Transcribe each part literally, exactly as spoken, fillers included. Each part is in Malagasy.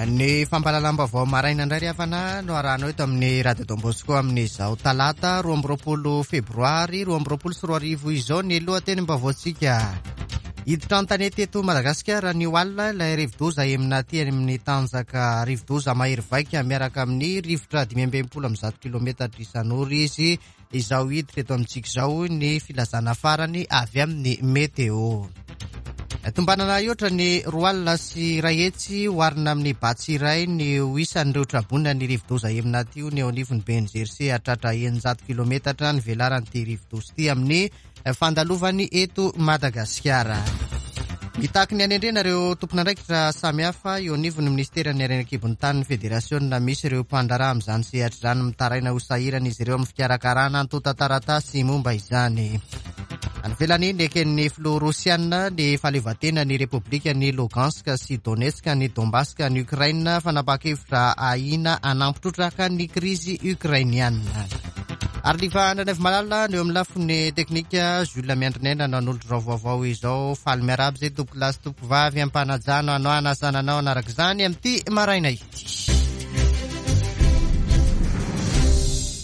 Ny fampahalalam-baovao maraina indray ry havana no arahanao eto amin'ny Radio Don Bosco amin'izao talata roa amby roapolo febroary roa amby roapolo sy roa arivo izao. Ny lohatenim-baovaontsika: hiditra an-tanety eto Madagasikara ny alina ilay rivodoza Emnati amin'ny tanjaka rivodoza mahery vaika miaraka amin'ny rivotra dimy amby enimpolo amby zato kilometatra isan'ora izy izao hiditra eto amintsika izao, ny filazana farany avy amin'ny météo. Tombanana hihoatra ny roa alina sy iray hetsy oharina amin'ny Batsirai ny ho isan'ireo traboina ny rivodoza Emnati io ny eo anivon'ny B N G R C. Hatratra eninjato kilometatra ny velaran'ity rivodoza ity amin'ny fandalovany eto Madagasikara. Mitaky ny anendrena ireo tompon'andraikitra samihafa eo anivon'ny ministeran'ny harena an-kibon'ny tany ny federasiona misy ireo mpandraharaha amin'izany sehatra izany. Mitaraina ho sahirana izy ireo amin'ny fikarakarana antontan-taratasy momba izany. Any ivelany, neken'ny filoha rosiana ny fahaleovantena ny repoblika ny Lugansk sy Donetsk ny Donbass ny Ukraine, fanapahan-kevitra ahina hanampy trotraka ny krizy ukrainiana. Ary liva Andranaivo Malala no eo amin'ny lafiny teknika, Jules Miandrinaina nanolotra vaovao izao. Faly miarahaba zay tompoko lahy sy tompoko vavy ampanajano anao anasananao anaraka izany amin'ity maraina ity.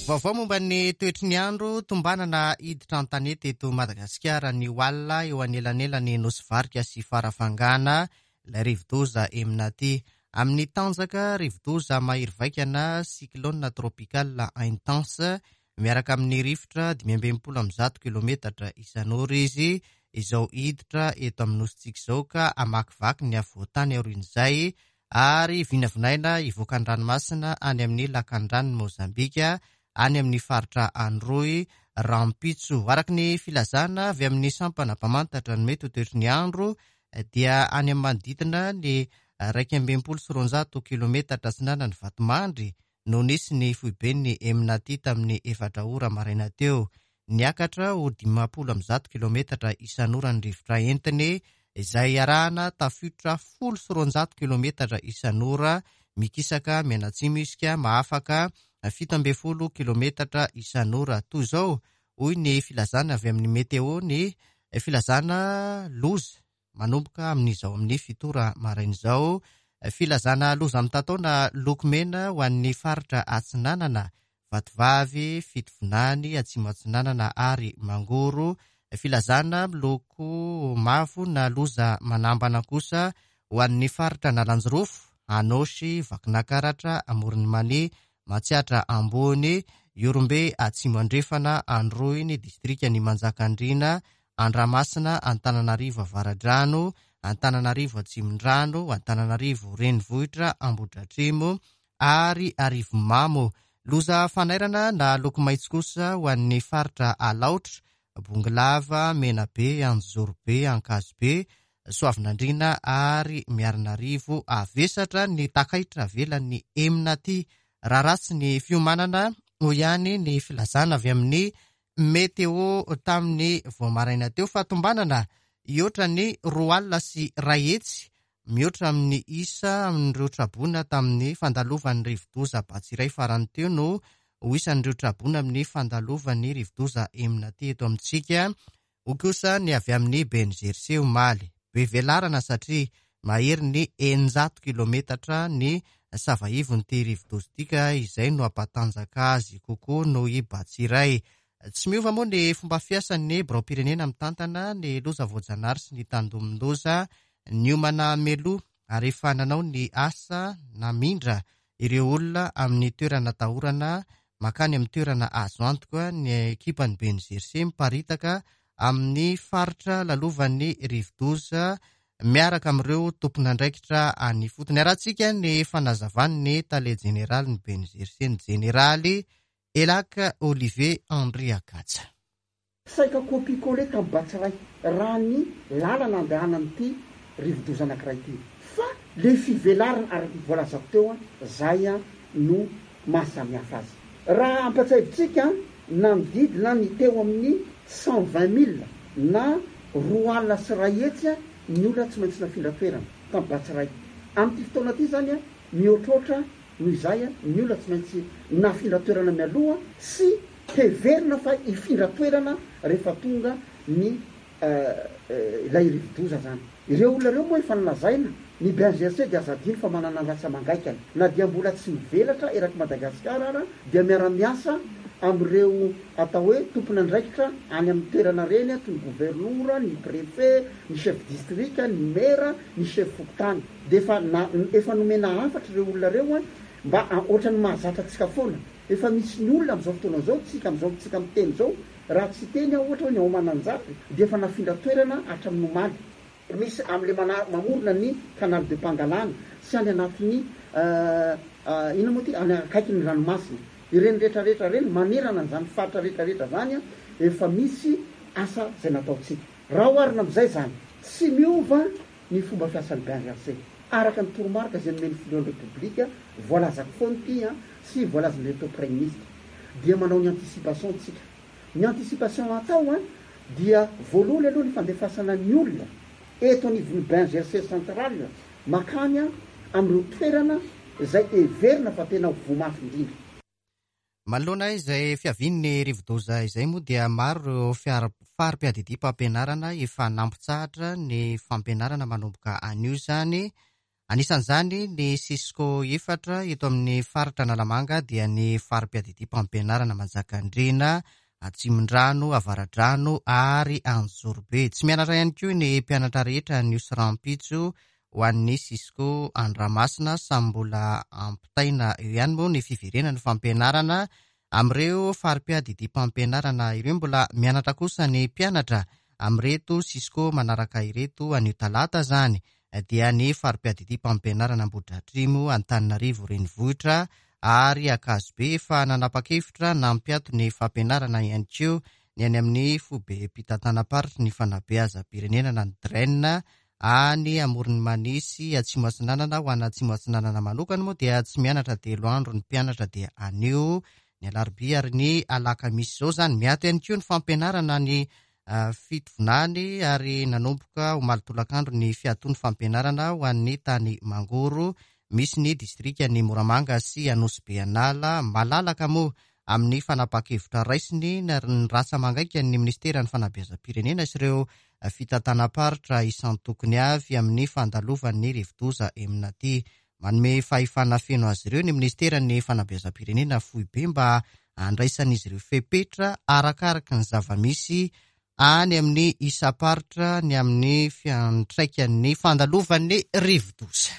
Vaovao momba ny toetry ny andro: tombanana hiditra an-tanety eto Madagasikara ny alina eo anelanelany Nosy Varika sy Farafangana ilay rivodoza Emnati amin'ny tanjaka rivodoza mahery vaika na cyclone tropical intense miaraka amin'ny rivotra dimy amby enimpolo amby zato kilometatra isan'ora izy izao hiditra eto amin'ny nosintsika izao ka hamakivaky ny afovoan-tany aorian'izay ary vinavinaina hivoaka ny ranomasina any amin'ny lakan-dranon'i Mozambika any amin'ny faritra Androy rahampitso. Araka ny filazana avy amin'ny sampana mpamantatra ny mety ho toetry ny andro dia any amin'ny manodidina ny raika amby enimpolo sy roanjato kilometatra atsinanan'ny Vatomandry no nisy ny foiben'ny Emnati tamin'ny efatra ora maraina teo. Niakatra ho dimampolo amby zato kilometatra isan'ora ny rivotra entiny izay arahana tafiotra folo sy roanjato kilometatra isan'ora. Mikisaka mianatsimo izy ka mahafaka fito amby folo kilometatra isan'ora. Toy izao hoy ny filazana avy amin'ny météo ny filazana loza manomboka amin'izao amin'ny fito ora maraina izao: filazana loza mitatao loko mena ho an'ny faritra Atsinanana, Vatovavy, Fitovinany, Atsimo Atsinanana ary Mangoro; filazana miloko mavo na loza manambana kosa ho an'ny faritra Analanjirofo, Anôsy, Vakinankaratra, Amoron'i Mania, Matsiatra Ambony, Ihorombe Atsimo Andrefana, Androy, ny distrika ny Manjakandriana, Andramasina, Antananarivo Avaradrano, Antananarivo Atsimondrano, Antananarivo Renivohitra, Ambohidratrimo ary Arivonimamo; loza fanairana na loko maitso kosa ho an'ny faritra Alaotra, Bongolava, Menabe, Anjozorobe, Ankazobe, Soavinandriana ary Miarinarivo. Havesatra ny takaitra avelan'ny Emnati raha ratsy ny fiomanana, hoy ihany ny filazana avy amin'ny météo tamin'ny vao maraina teo, fa tombanana hihoatra ny roa alina sy iray hetsy mihoatra amin'ny isa amin'ireo traboina tamin'ny fandalovan'ny rivodoza Batsirai farany teo no ho isan'ireo traboina amin'ny fandalovan'ny rivodoza Emnati eto amintsika, hoy kosa ny avy amin'ny B N G R C omaly. Be velarana satria mahery ny eninjato kilometatra ny savaivon'ity rivodoza ity ka izay no hampatanjaka azy kokoa noho i Batsirai. Tsy miova moa ny fomba fiasan'ny birao-pirenena mitantana ny loza voajanahary sy ny tandindomin-doza. Niomana mialoha ary efa nanao ny asa namindra ireo olona amin'ny toerana atahorana makany amin'ny toerana azo antoka ny ekipan'ny B N G R C miparitaka amin'ny faritra lalovan'ny rivodoza miaraka amin'ireo tompon'andraikitra any fotony. Arahantsika ny fanazavan'ny tale jeneraly ny B N G R C, ny jeneraly Elaka Olivier Andriakatsa. Saika copier-coller tamin'ny Batsirai raha ny lalana andehanan'ity rivodoza anankiray ity, fa le fivelarana araky voalazako teo a zay a no mahasamihafa azy. Raha ampatsiahivitsika, nanodidina ny teo amin'ny cent vingt mille na roa alina sy ray hetsy a ny olona tsy maintsy nafindra toerana tamin'ny Batsirai. Amin'ity fotoana ity zany a mihoatroatra noho izay a ny olona tsy maintsy nafindra toerana mialoha sy heverina fa hifindra toerana rehefa tonga ny ilay rivodoza zany. Ireo olona ireo moa efa nolazaina Ny B N G R C dia aza adino fa manana ny rantsa-mangaikany. Na dia mbola tsy mivelatra eraky Madagasikara ara, dia miara-miasa am'ireo atao hoe tompon'andraikitra any amin'ny toerana reny, toy ny governora, ny préfet, ny chef district, ny maire, ny chef fokontany. De efa na efa nomena hafatra ireo olona reo a mba ohatra ny mahazatra atsika foana. Efa misy ny olona am'izao fotoana zao tsika am'izao tsika miteny zao, raha tsy teny aho, ohatra hoe ny ao Mananjary de efa nafindra toerana hatramin'ny omaly. Misy am'le mana mamorona ny canal de Pangalana sy any anatin'ny ina moa ty, any akaiky ny ranomasina ireny rehetrarehetra reny, manerana an'izany faritra rehetrarehetra zany a efa misy asa zay nataotsika. Raha oharina am'izay zany, tsy miova ny fomba fiasan'ny B N G R C araka ny toromarika zay nomeny filohan'ny Repoblika, voalazako foany ty a sy voalazan'reto premier ministre, dia manao ny anticipation tsika. Ny anticipation atao a dia voalohany aloha ny fandefasana ny olona eto anivon'ny B N G R C central makany a am'ireo toerana zay everina fa tena voa mafy indrindra. Manoloana izay fiavian'ny rivodoza izay moa, dia maro ireo fiara fari-piadidiam-pampianarana efa nampitsahatra ny fampianarana manomboka anio izany. Anisan'izany ny Cisco efatra eto amin'ny faritra Analamanga, dia ny fari-piadidiam-pampianarana Manjakandriana, Atsimondrano, Avaradrano ary Anjorobe. Tsy mianatra ihany koa ny mpianatra rehetra anio sy rahampitso ho an'ny Cisco Andramasina. Samy mbola ampitaina eo ihany moa ny fiverenana fampianarana amin'ireo fari-piadidiam-pampianarana ireo. Mbola mianatra kosa ny mpianatra amin'ireto Cisco manaraka ireto anio talata zany, dia ny fari-piadidiam-pampianarana Ambohidratrimo, Antananarivo renivohitra ary Ankazobe. Efa nanapa-kevitra nampiato ny fampianarana ihany koa ny any amin'ny foibe mpitantanam-paritry ny fanabeazam-pirenena na ny DREN any Amoron'i Mania sy Atsimo Atsinanana. Ho ana Atsimo Atsinanana manokana moa dia tsy mianatra telo andro ny mpianatra, dia anio, ny alarobia ary ny alakamisy zao zany. Miato ihany koa ny fampianarana ny Fitovinany ary nanomboka omaly tolakandro ny fiatoan'ny fampianarana ho an'ny tany Mangoro misy ny distrika ny Moramanga sy Anosibe Anala. Malalaka moa amin'ny fanapa-kevitra raisiny ny rantsa-mangaika ny ministeran'ny fanabeazam-pirenena sy ireo fitantanam-paritra isan-tokony avy amin'ny fandalovan'ny rivodoza Emnati. Manome fahefana feno azy ireo ny ministeran'ny fanabeazam-pirenena foibe mba andraisan'izy ireo fepetra arakaraka ny zava-misy any amin'ny isam-paritra ny amin'ny fiantraikan'ny fandalovan'ny rivodoza.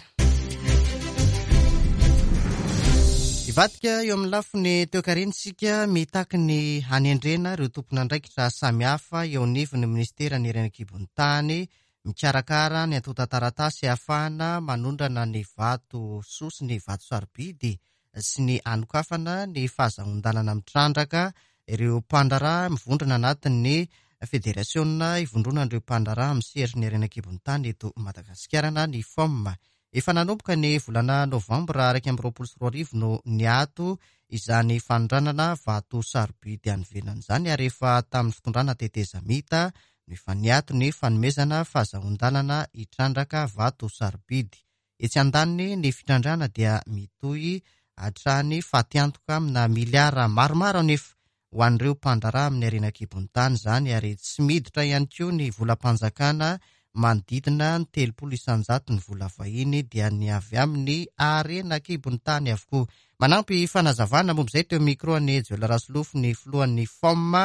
Ivadika eo amin'ny lafiny toekarena isika. Mitaky ny hanendrena ireo tompon'andraikitra samihafa eo anivon'ny ministeran'ny harena an-kibon'ny tany mikarakara ny antontan-taratasy ahafahana manondrana ny vato soa sy ny vato sarobidy sy ny anokafana ny fahazoan-dalana mitrandraka ireo mpandraharaha mivondrona anatin'ny federasiona ivondronan'ireo mpandraharaha amin'ny sehatry ny harena an-kibon'ny tany eto Madagasikara na ny F O M. Efa nanomboka ny volana novambra iraika amby roapolo sy roa arivo no niato izany fanondranana vato sarobidy any ivelany izany, ary efa tamin'ny fitondrana tetezamita no efa niato ny fanomezana fahazoan-dalana hitrandraka vato sarobidy. Etsy andaniny, ny fitrandrana dia mitohy hatrany. Fatiantoka amina miliara maromaro anefa ho an'ireo mpandraharaha amin'ny harena an-kibon'ny tany izany, ary tsy miditra ihany koa ny volam-panjakana. Manodidina ny telopolo isanjato ny vola vahiny dia ny avy amin'ny harena an-kibon'ny tany avokoa. Manampy fanazavana momba izay teo micro ny Joela Rasolofo ny filohan'ny F O M,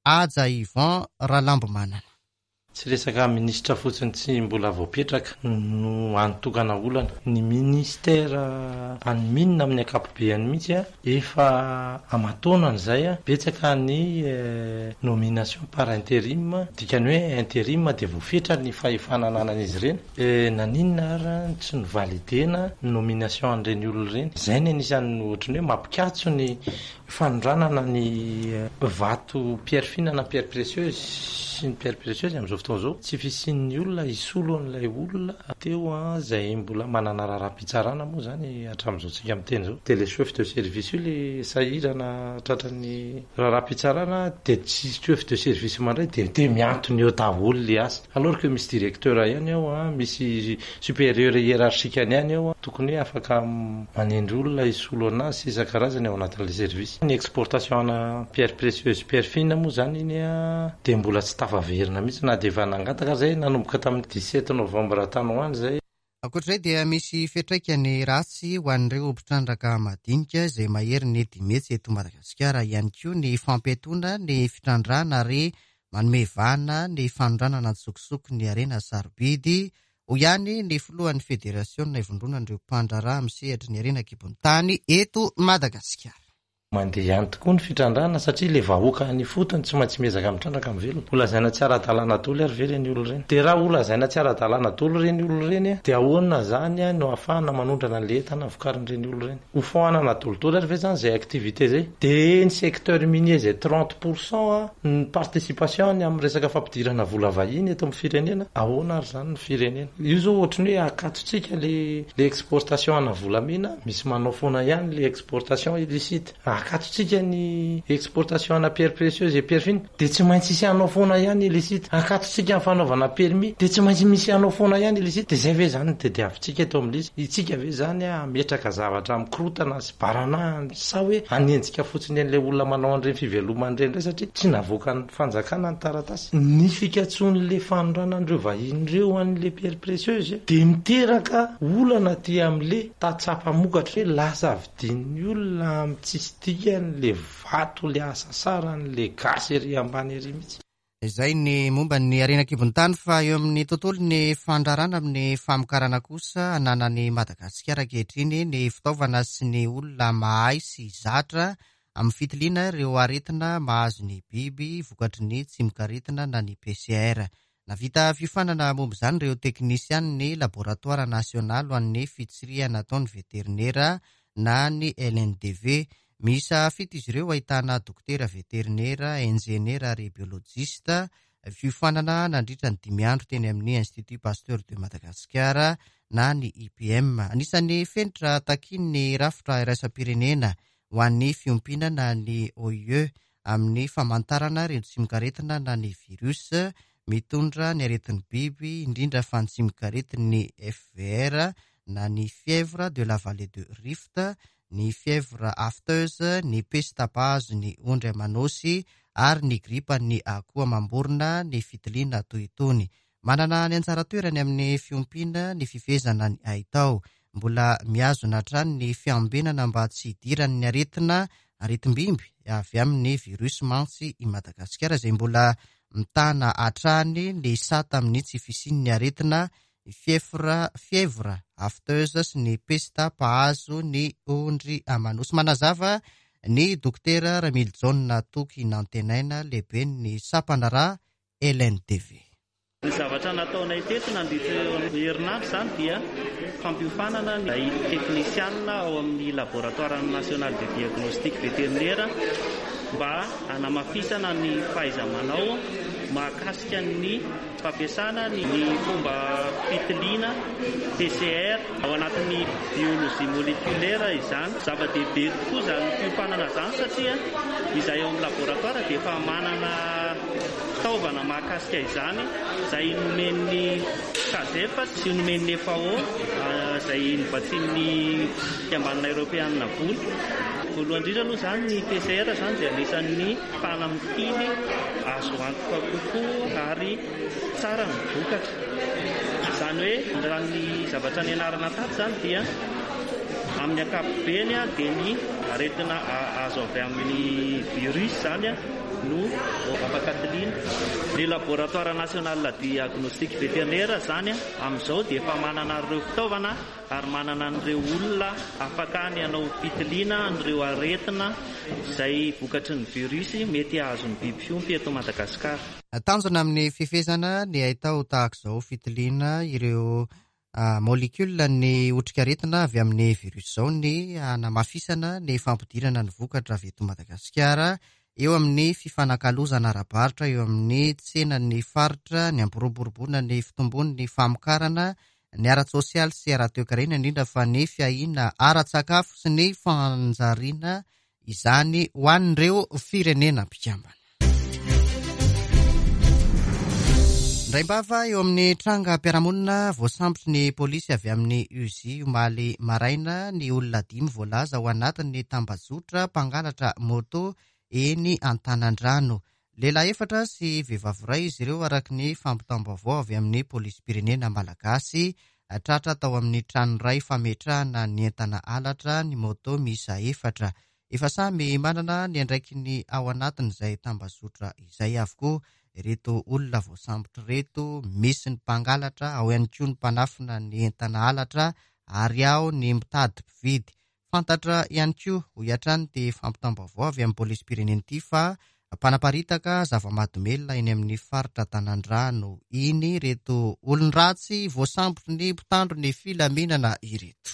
Haja Yvon Ralambomanana. Tsy resaka ministra fotsiny tsy mbola voapetraka no antokana olana. Ny ministera any mines amin'ny ankapobeany mihitsy a efa amataonany zay a betsaka ny nomination par intérim, dikany hoe intérim de voafetra ny fahefana ananan'izy ireny. Naninona ara tsy novalidena nomination an'ireny olona ireny? Zay ny anisan'ny ohatrany hoe mampikatso ny fanondranana ny vato pierre fine na pierre précieuse sy ny pierre précieuse am'izao fotoana zao. Tsy fisian'ny olona isolo an'ilay olona teo a zay mbola manana raharaham-pitsarana moa zany hatramin'izao tsika miteny zao, de le chef de service io le sahirana tratran'ny raharaham-pitsarana, de tsy chef de service mandray de de miantony eo daholo le asa, alors que misy directeur ihany ao a misy supérieur hiérarchique any ihany ao a tokony hoe afaka manendry olona isolo anazy sy isan-karazany ao anatin'le service. Ny exportation ana pierre précieuse, pierre fine moa zany iny a de mbola tsy tafaverina mihitsy na de efa nangataka zay nanomboka tamin'ny dix-sept novembre tany ho any zay. Ankoatr'izay dia misy fiantraikany ratsy ho an'ireo mpitrandraka madinika izay mahery ny dimy hetsy eto Madagasikara ihany koa ny fampiatoana ny fitrandrahana ary manome vahana ny fanondranana an-tsokosoko ny harena sarobidy. Hoy ihany ny filohan'ny federasiona ivondronan'ireo mpandraharaha misehatra ny harena an-kibon'ny tany eto Madagasikara. Mandeha ihany tokoa ny fitrandrahana satria ilay vahoaka any ifotony tsy maintsy miezaka mitrandraka mivelona. Ho lazaina tsy ara-dalàna daholo ary ve ireny olona ireny? Dia raha ho lazaina tsy ara-dalàna daholo ireny olona ireny, dia ahoana izany no ahafahana manondrana an'ilay entana vokarin'ireny olona ireny? Ho foanana daholo ary ve izany izay activité izay? Dia ny secteur minier izay trente pour cent ny participation ny amin'ny resaka fampidirana vola vahiny eto amin'ny firenena, ahoana ary izany ny firenena? Io izao ohatran'ny hoe akatotsika le, le exportation ana volamena, misy manao foana ihany le exportation illicite. Akatotsika ny exportation ana pierre précieuse et pierre fine, dia tsy maintsy hisy hanao foana ihany illicite. Akatotsika ny fanaovana permis, dia tsy maintsy misy hanao foana ihany illicite. Dia izay ve izany no tadiavintsika eto amin'ilay izy? Isika ve izany hametraka zavatra mikorotana sy barana sa hoe hanenjika fotsiny an'ilay olona manao an'ireny fivelomana ireny indray satria tsy navoakan'ny fanjakana ny taratasy? Ny fikatsoan'ilay fanondranana ireo vahiny ireo an'ilay pierre précieuse dia miteraka olana aty amin'ilay tantsaha-mpamokatra hoe lasa vidin'ny olona amin'ny tsisy dikany le vato le asasarany le gasy ery ambany ery mihitsy. Izay ny momba ny harena an-kibon'ny tany, fa eo amin'ny tontolo ny fandraharahana amin'ny famokarana kosa ananan'i Madagasikara ankehitriny ny fitaovana sy ny olona mahay sy zatra amin'ny fitiliana ireo aretina mahazo ny biby vokatry ny tsimokaretina na ny P C R. Navita fiofanana momba izany ireo teknisianin'ny laboratoara nasionaly ho an'ny fitsirihana ataon'ny veterinera na ny L N D V. Miisa fito izy ireo ahitana dokotera veterinera, injeniera ary biolojista. Fiofanana nandritra ny dimy andro teny amin'ny Institut Pasteur de Madagascar na ny I P M. Anisan'ny fenitra takian'ny rafitra iraisam-pirenena ho an'ny fiompiana na ny O I E amin'ny famantarana ireo tsimokaretina na ny virus mitondra ny aretin'ny biby, indrindra fa ny tsimokaretin'ny F V R na ny fièvre de la vallée de Rift, ny fièvre afteuse, ny peste mpahazo ny ondry aman'osy ary ny gripan'ny akoho amam-borona ny fitiliana toy itony. Manana ny anjara toerany amin'ny fiompiana ny fifehezana ny haitao. Mbola mihazona hatrany ny fiambenana mba tsy hidiran'ny aretina aretim-bimby avy amin'ny virus mantsy i Madagasikara izay mbola mitana hatrany ny sata amin'ny tsy fisian'ny aretina fièvre, fièvre afteuse sy ny pesta mpahazo ny ondry aman'osy. Manazava ny dokotera Ramilijaona Toky Nantenaina, lehiben'ny sampandraharaha L N D V. Ny zavatra nataonay teto nandritra ny herinandro izany dia fampiofanana ny teknisianina ao amin'ny laboratoire national de diagnostic vétérinaire mba hanamafisana ny fahaiza-manao mahakasika ny fampiasana ny fomba fitiliana P C R ao anatin'ny biologie moléculaire izany. Zava-dehibe tokoa izany fiofanana izany satria izahay ao amin'ny laboratoire dia efa manana fitaovana mahakasika izany izay nomen'ny K A S E F sy nomen'ny F A O izay novatsian'ny fikambanana eoropeanina vola. Voalohany indrindra aloha izany ny P C R izany dia anisan'ny fanamitily azo antoka kokoa ary tsara ny vokatra. Izany hoe raha ny zavatra nianarana tato izany dia amin'ny ankapobeny dia ny aretina azo avy amin'ny virus izany no afaka tiliana. Ny laboratoire national diagnostic vétérinaire izany amin'izao dia efa manana ireo fitaovana ary manana an'ireo olona afaka ny hanao fitiliana an'ireo aretina izay vokatry ny virus mety hahazo ny biby fiompy eto Madagasikara. Tanjona amin'ny fifehezana ny haitao tahaka izao fitiliana ireo, ah, molécule ny otrikaretina avy amin'ny virus izao ny hanamafisana ny fampidirana ny vokatra avy eto Madagasikara eo amin'ny fifanakalozana ara-barotra eo amin'ny tsenan'ny faritra, ny hampiroboroboana ny fitombon'ny famokarana ny ara-tsosialy sy ara-toekarena, indrindra fa ny fiahiana ara-tsakafo sy ny fanjariana izany ho an'ireo firenena mpikambana. Indraimbava eo amin'ny trangam-piarahamonina voasambotry ny polisy avy amin'ny U Z I omaly maraina ny olona dimy voalaza ho anatin'ny tambajotra mpangalatra moto eny Antanandrano. Lehilahy efatra sy vehivavy iray izy ireo araka ny fampitam-baovao avy amin'ny polisim-pirenena malagasy Tratra tao amin'ny trano iray fametrahana ny entana halatra ny moto miisa efatra. Efa samy manana ny andraikiny ao anatin'izay tambazotra izay avokoa ireto olona voasambotra ireto. Misy ny mpangalatra, ao ihany koa ny mpanafina ny entana halatra ary ao ny mitady mpividy. Fantatra ihany koa, hoy hatrany ity fampitam-baovao avy amin'ny polisim-pirenena ity, fa mpanaparitaka zava-mahadomelina eny amin'ny faritra Tanandrano iny ireto olon-dratsy voasambotry ny mpitandro ny filaminana ireto.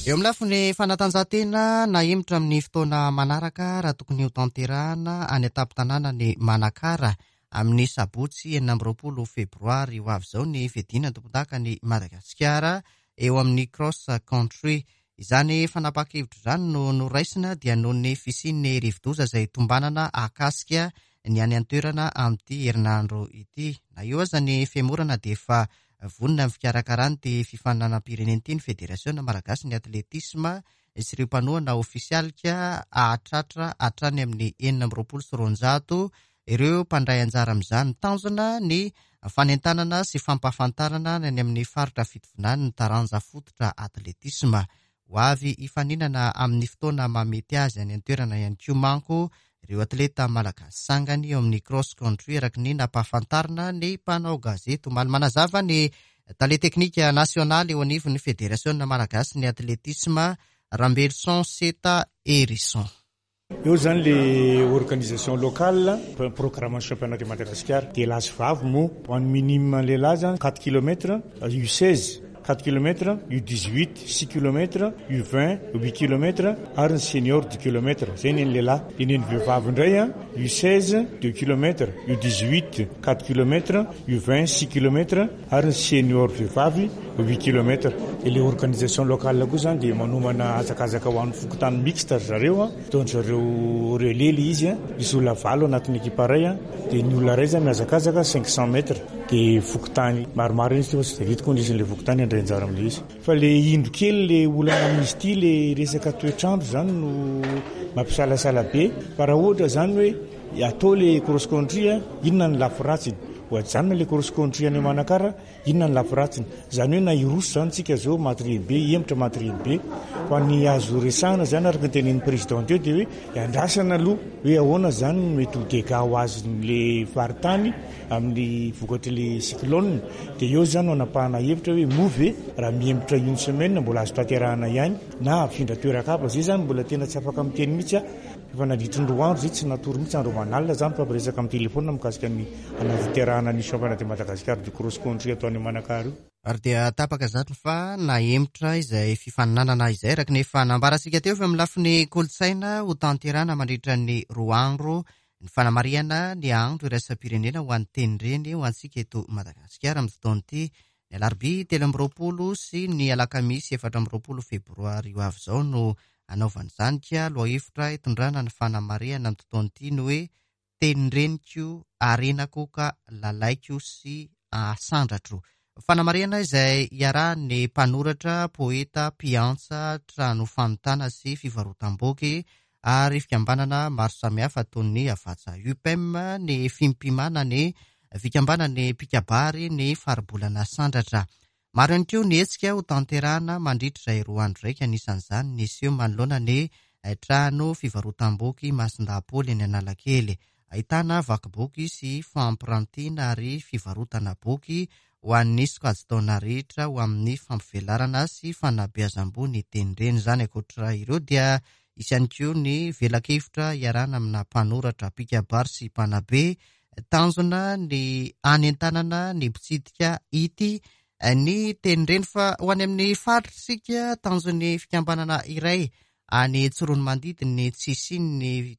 Eo amin'ny lafiny fanatanjahantena, nahemotra amin'ny fotoana manaraka raha tokony ho tanterahana any an-tampon-tanàna ny Manakara amin'ny sabotsy enina amby roapolo febroary ho avy izao ny fiadiana tompon-daka ny Madagasikara eo amin'ny cross country. Izany fanapahan-kevitra izany no noraisina dia noho ny fisian'ny rivodoza izay tombanana ahakasika ny any an-toerana amin'ity herinandro ity. Na eo aza ny femorana dia efa vonona amin'ny fikarakarana ity fifaninanam-pirenena ity ny Federasiona Malagasy ny atletisma sy ireo mpanohana ofisialika hahatratra hatrany amin'ny enina amby roapolo sy roanjato ireo mpandray anjara amin'izany. Tanjona ny fanentanana sy fampahafantarana ny any amin'ny faritra Fitovinany ny taranja fototra atletisma. Ho avy hifaninana amin'ny fotoana mahamety azy any an-toerana ihany koa manko ireo atleta malagasy sangany eo amin'ny cross country araka ny nampahafantarina ny mpanao gazety. Omaly manazava ny tale teknika nasionaly eo anivon'ny Federasiona Malagasy ny atletisma, Rambelson Seta Erison. Eo zany le organisation locale, programme championnat de Madagascar. Dia lahy sy vavy moa, ho an'ny minime lehilahy zany quatre kilomètres, U seize quatre kilomètres, U dix-huit six kilomètres, U vingt huit kilomètres ary ny senior dix kilomètres. Zay ny an'ny lehilahy. Dia ny an'ny vehivavy indray a, U seize deux kilomètres, U dix-huit quatre kilomètres, U vingt six kilomètres ary ny senior vehivavy huit kilomètres. Dia le organisation locale koa zany dia manomana hazakazaka ho an'ny fokontany mixte ry zareo a, ataon-dry zareo relais le izy a, misy olona valo anatin'ny ekipa iray a, dia ny olona iray zany mihazakazaka cinq cents mètres. Dia fokontany maromaro izy fa tsy dia hitako nisy an'ilay fokontany handray anjara amin'ilay izy. Fa le indro kely le olana amin'izy ity, le resaka toetrandro zany no mampisalasala be. Fa raha ohatra zany hoe atao le cross country a, inona ny lafy ratsiny? Ho ajanona le cross country any Manakara, inona ny lafy ratsiny? Zany hoe na hiroso zany tsika zao matériel be, hemotra matériel be. Fa ny azo resahana zany araka ny tenenin'ny président teo dia hoe andrasana aloha hoe ahoana zany no mety ho dégâts ho azon'le faritany amin'ny vokatr'le cyclone. Dia eo zany no anapahana hevitra hoe moa ve raha mihemotra une semaine mbola azo tanterahana ihany na afindra toeran-kafa. Zay zany mbola tena tsy afaka miteny mihitsy aho. Efa nandritry ny roa andro zay tsy natory mihitsy andro aman'alina zany fa miresaka amin'ny telefona mikasika ny anatanterahana ny championnat de Madagascar du cross country atao any Manakara io. Ary dia tapaka zany fa nahemotra izay fifaninanana izay araka ny efa nambarantsika teo fa amin'ny lafiny kolontsaina ho tanterahana mandritra ny roa andro ny fanamarihana ny andro iraisam-pirenena ho an'ny tenindreny ho antsika eto Madagasikara amin'ny fotoana ity. Ny alarobia telo amby roapolo sy ny alakamisy efatra amby roapolo febroary ho avy izao no anaovana izany ka lohahevitra hitondrana ny fanamarihana ny fotoana ity ny hoe tenindreniko, arenako ka lalaiko sy asandratro. Fanamarihana izay iarahan'ny mpanoratra, poeta, mpiantsa, trano fanontana sy fivarotam-boky ary fikambanana maro samihafa toy ny Havatsa U P M, ny Fimpimana, ny fikambanan'ny mpikabary, ny faribolana sandratra. Maro ihany koa ny hetsika ho tanterahana mandritra izay roa andro raika, anisan'izany ny seho manoloana ny trano fivarotam-boky Masindahy-Paoly eny Analakely. Ahitana vaky boky sy fampirantiana ary fivarotana boky ho an'ny sokajin-taona rehetra ho amin'ny fampivelarana sy fanabeazam-boho ny tenindreny izany. Ankoatra ireo dia hisy ihany koa ny velakevitra iarahana amina mpanoratra, mpikabary sy mpanabe. Tanjona ny anentanana ny mpitsidika ity ny tenindreny. Fa ho any amin'ny faritra isika, tanjon'ny fikambanana iray any Tsiroanomandidy ny tsy hisian'ny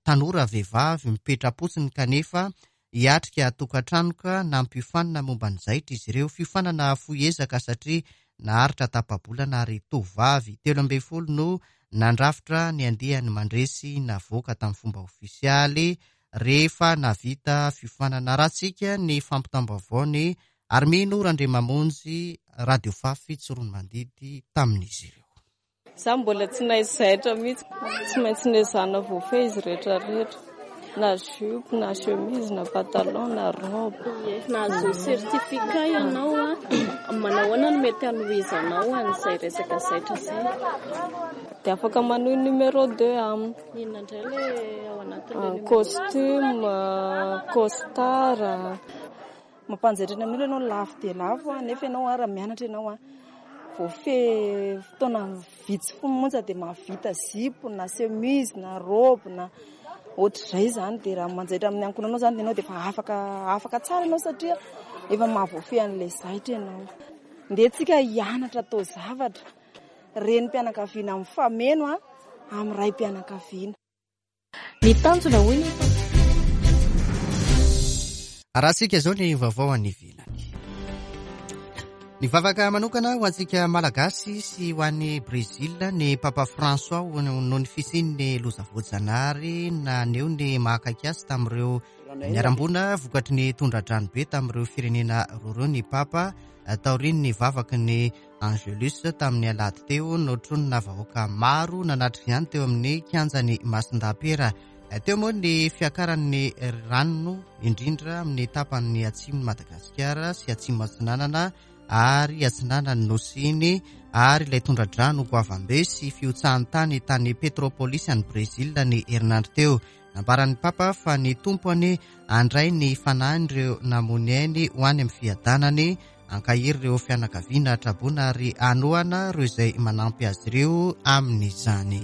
tanora vehivavy mipetra-potsiny kanefa hiatrika tokantranoka nampiofanina momba ny zaitra izy ireo. Fiofanana fohy ezaka satria naharitra tapa-bolana ary tovovavy telo ambin'ny folo no nandrafitra ny andiany mandresy navoaka tamin'ny fomba ofisialy rehefa navita fiofanana. Ratsika ny fampitam-baovao ny Armino Randriamamonjy, Radio Fafy Tsiroanomandidy tamin'izy ireo. Za mbola tsy nahay zaitra mihitsy, tsy maintsy nezahana voafehy izy rehetra rehetra. Na jupe, na chemise, na pantalon, na robe. Nahazo certificat ianao a, manao ahoana no mety hanohizanao an'izay resaka zaitra izay? Dia afaka manohy numéro deux aminy. Inona indray ilay ao anatin'ilay costume, costard. Mampanjaitra ny amin'olona ianao lafo dia lafo nefa ianao raha mianatra ianao voafehy fotoana vitsy monja dia mahavita zipo na chemise na robe na ohatr'izay izany. Dia raha manjaitra amin'ny ankohonanao izany ianao dia efa afaka afaka tsara ianao satria efa mahavoafehy an'ilay zaitra ianao. Ndeha tsika hianatra atao zavatra, renim-pianakaviana mifameno amin'ny ray-pianakaviana. Ny tanjona hoy ny Arahantsika izao ny vaovao any ivelany. Ny vavaka manokana ho antsika Malagasy sy ho an'ny Brezila ny Papa François noho ny fisian'ny loza voajanahary naneho ny mahakaiky azy tamin'ireo niarambona vokatry ny tondra-drano be tamin'ireo firenena roa ireo ny Papa taorian'ny vavaky ny Angelus tamin'ny alahady teo notronina vahoaka maro nanatrika ihany teo amin'ny kianjan'ny Masindapera. Teo moa ny fiakaran'ny rano indrindra amin'ny tapany atsimon'i Madagasikara sy atsimo atsinanana ary atsinanan'ny nosy iny ary ilay tondra-drano goavambe sy fihotsahan'ny tany tany Petropolis any Brezila ny herinandro teo. Nambaran'ny Papa fa ny Tompo anie handray ny fanahin'ireo namony ainy ho any amin'ny fiadanany, ankahery ireo fianakaviana traboina ary hanohana ireo izay manampy azy ireo amin'izany.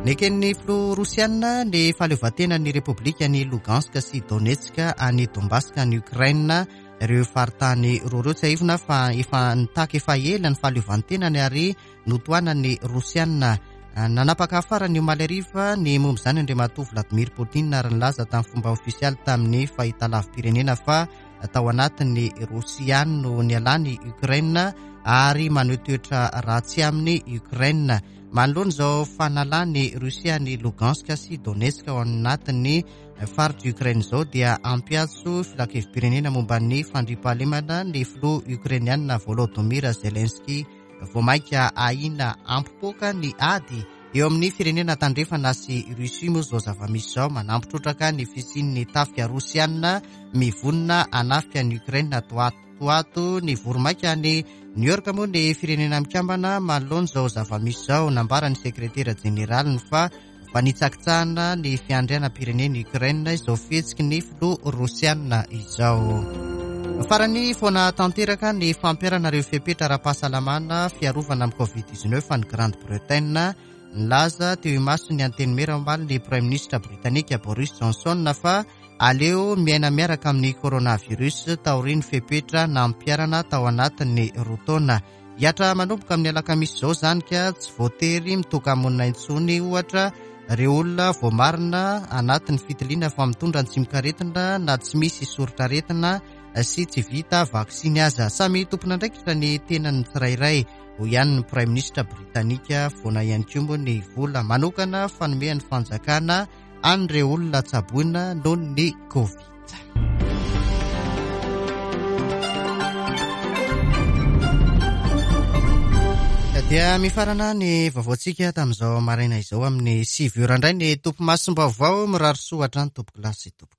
Neken'ny filoha rosiana ny fahaleovantenan'ny Repoblikan'i Lugansk sy Donetsk any Donbass any Ukraine. Ireo faritany roa ireo tsiahivina fa efa nitaky efa ela ny fahaleovantenany ary notohanan'ny Rosiana. Nanapaka farany omaly hariva ny momba izany Andriamatoa Vladimir Poutine ary nilaza tamin'ny fomba ofisialy tamin'ny fahitalavi-pirenena fa tao anatin'ny Rosia no nialany Ukraine ary maneho toetra ratsy amin'ny Ukraine. Manoloana izao fanalany Rosia ny Lugansk sy Donetsk ao anatin'ny faritra Ukraine izao dia ampiantso filankevi-pirenena momba ny fandriampahalemana ny filoha ukrainiana Volodymyr Zelensky. Vao mainka ahiana hampipoaka ny ady eo amin'ny firenena tandrefana sy Russie moa izao zava-misy izao manampy trotraka ny fisian'ny tafika rosiana mivonona hanafika ny Ukraine toatoato. Ny voromaika ny New York moa ny firenena mikambana manoloana izao zava-misy izao. Nambaran'ny sekretera jeneraliny fa fanitsakitsahana ny fiandrianam-pirenena Ukraine izao fihetsiky ny filoha rosiana izao. Farany foana tanteraka ny fampiharana ireo fepetra ara-pahasalamana fiarovana amin'ny covid dix-neuf any Grande-Bretagne. Nilaza teo imason'ny antenimiera omaly ny Premier ministre britanika Boris Johnson fa aleo miaina miaraka amin'ny coronavirus taorian'ny fepetra nampiharana tao anatin'ny roa taona. Hiatra manomboka amin'ny alakamisy izao izany ka tsy voatery mitoka-monina intsony ohatra ireo olona voamarina anatin'ny fitiliana fa mitondra ny tsimokaretina na tsy misy soritr'aretina sy tsy vita vaksiny aza. Samy tompon'andraikitra ny tenan'ny tsirairay hoy ihany ny Premier ministre britanika. Foana ihany koa moa ny vola manokana fanomean'ny fanjakana an'ireo olona tsaboina noho ny Covid. Dia mifarana ny vaovaontsika tamin'izao maraina izao amin'ny sivy ora indray ny tompo masom-baovao. Mirary soa hatrany tompoko lahy sy tompoko.